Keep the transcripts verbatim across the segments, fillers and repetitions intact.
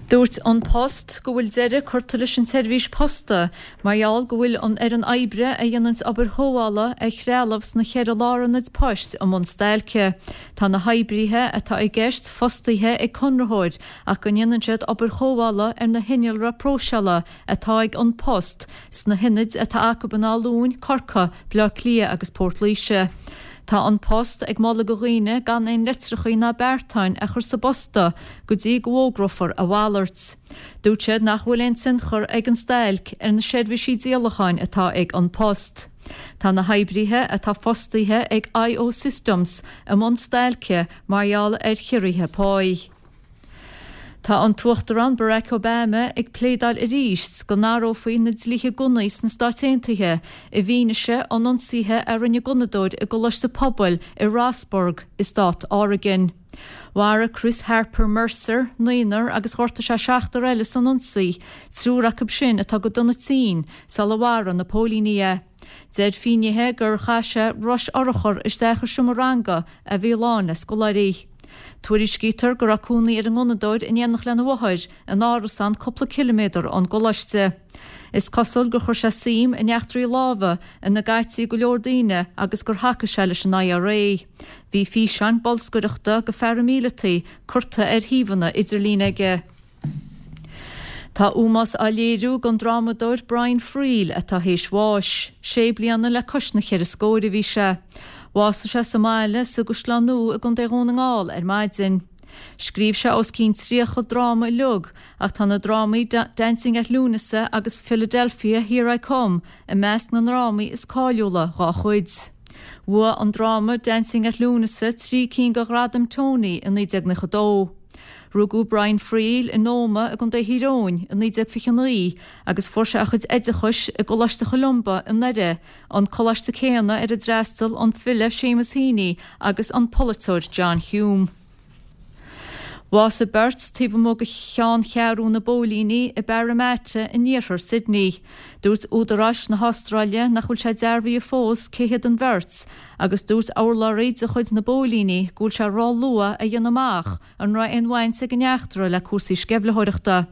Dúirt An Post go bhfuil deireadh curtha leis an tseirbhís posta mar gheall go bhfuil an fhoireann oibre a dhéanann obair chothabhála ar threalamh sna ceithre lárionad poist i mbun stailce. Tá na hoibrithe atá i gceist fostaithe ag conraitheoir ach go ndéanann siad obair chothabhála ar na hinnealra próiseála atá ag An Post sna hionaid atá acu in Áth Luain, Corcaigh, Baile Átha Cliath agus Port Laoise. Tá An Post ag moladh do dhaoine gan aon litreacha ná beartáin a chur sa bposta go dtí go bhfógrófar a mhalairt. Dúirt siad nach bhfuil aon tionchar ag an stailc ar na seirbhísí díolacháin atá ag An Post. Tá na hoibrithe atá fostaithe ag IO Systems i mbun stailce mar gheall ar chiorruithe páí. Tá an tUachtarán Barack Obama ag pléadáil arís go n-athrófaí na dlíthe gunnaí sna Stáit Aontaithe i bhfianaise an ionsaithe a rinne gunnadóir i gcoláiste pobail i Roseburg i stát Oregon. Mharaigh Chris Harper Mercer, naonúr agus ghortaigh sé seachtar eile san ionsaí, triúr acu sin atá go dona tinn sula mharaigh na póilíní é. Deir finnéithe gur chaith sé rois urchar isteach i seomra ranga a bhí lán le scoláirí. Tuairiscítear go raibh cónaí ar an ngunnadóir in éineacht lena mháthair in árasán cúpla ciliméadar ón gcoláiste. Is cosúil gur chuir sé suim in eachtraí láimhe ina gcaití go leor daoine agus gur thacaigh sé leis an IRA. Bhí físeáin bolscaireachta do pharaimíleataigh curtha ar shuíomhanna idirlín aige. Tá ómós á léiriú don drámadóir Brian Friel atá théis bháis, sé bliana le cois na ceithre scór a bhí sé. Bhásaigh sé sa mbaile sa gCaisleán Nua i gContae Dhún na nGall ar maidin. Scríobh sé os cionn tríocha dráma uilig ach tá na drámaí Dancing at Lughnasa agus Philadelphia Here I Come i measc na ndrámaí is cáiliúla dá chuid. Bhuaigh an dráma Dancing at Lughnasa trí cinn de Ghradaim Tony i naoi déag nócha dó. Rugadh Brian Friel in Ómaigh i gContae Thír Eoghain i naoi déag fiche naoi agus fuair sé a chuid oideachais i gColáiste Cholumba i nDoire, an coláiste céanna ar a d'fhreastail an file Seamus Heaney agus an polaiteoir John Hume. Bhásaigh beirt taobh amuigh de cheanncheathrú na bpóilíní i Parramatta in iarthar Sydney. Dúirt údaráis na hAstráile nach bhfuil sé dearbhaithe fós cé hiad an bheirt, agus dúirt urlabhraí de chuid na bpóilíní go bhfuil sé róluath a dhéanamh amach an raibh aon bhaint ag an eachtra le cúrsaí sceimhlitheoireachta.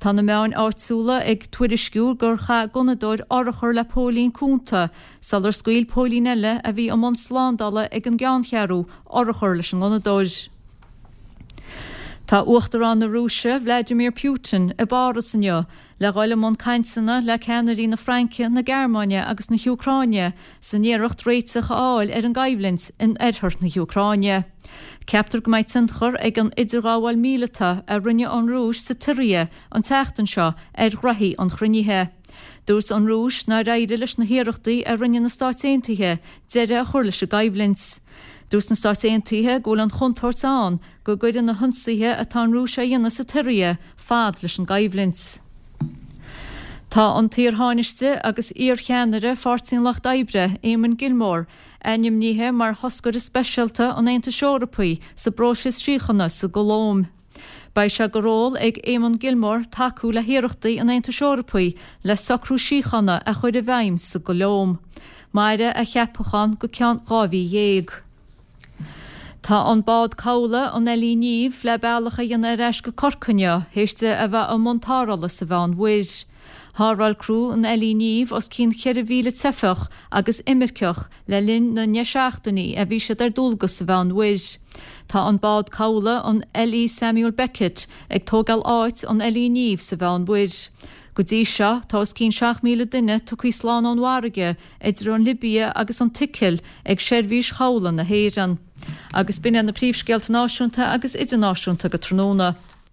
Tá na meáin áitiúla ag tuairisciú gur chaith gunnadóir urchar le póilín cúnta, sular scaoil póilín eile a bhí i mbun slándála ag an gceanncheathrú urchar leis an ngunnadóir. Tá Uachtarán na Rúise Vladimir Putin i bPáras inniu le dhul i mbun cainteanna le ceannairí na Fraince, na Gearmáine agus na hÚcráine san iarracht réiteach a fháil ar an gcoimhlint in oirthear na hÚcráine. Ceaptar go mbeidh tionchar ag an idirghabháil mhíleata a rinne an Rúis sa tSiria an tseachtain seo ar ghraithí an chruinnithe. Dúirt an Rúis nár éirigh leis na hiarrachtaí a rinne na Stáit Aontaithe deireadh a chur leis an gcoimhlint. Dúirt na Stáit Aontaithe go bhfuil an chontúirt ann go gcuirfidh na hionsaithe atá an Rúis á dhéanamh sa tSiria fad leis an gcoimhlint. Tá an t-iar-thánaiste agus iarcheannaire Pháirtí an Lucht Oibre, Eamon Gilmore, ainmnithe mar thoscaire speisialta an Aontais Eorpaigh sa bpróiseas síochána sa gColóim. Beidh sé de ról ag Eamon Gilmore tacú le hiarrachtaí an Aontais Eorpaigh le socrú síochána a chur i bhfeidhm sa gColóim. Mairfidh a cheapachán go ceann dhá mhí dhéag. Tá an bád cabhlaigh an LE Niamh le bealach a dhéanamh ar ais go Corcaigh inniu, théis di a bheith i mbun tarrthála sa Mheánmhuir. Tharrtháil criú an LE Niamh os cionn ceithre mhíle teifeach agus imirceach le linn na ndeich seachtainí a bhí siad ar dualgas sa Mheánmhuir. Tá an bád cabhlaigh an LE Samuel Beckett ag tógáil áit an LE Niamh sa Mheánmhuir. Go dtí seo tá os cionn seacht míle duine tugtha slán ón bhfarraige idir an Libia agus an tSicil ag seirbhís chabhlaigh na hÉireann. Agus b'in na príomhscéalta náisiúnta agus idirnáisiúnta go tráthnóna.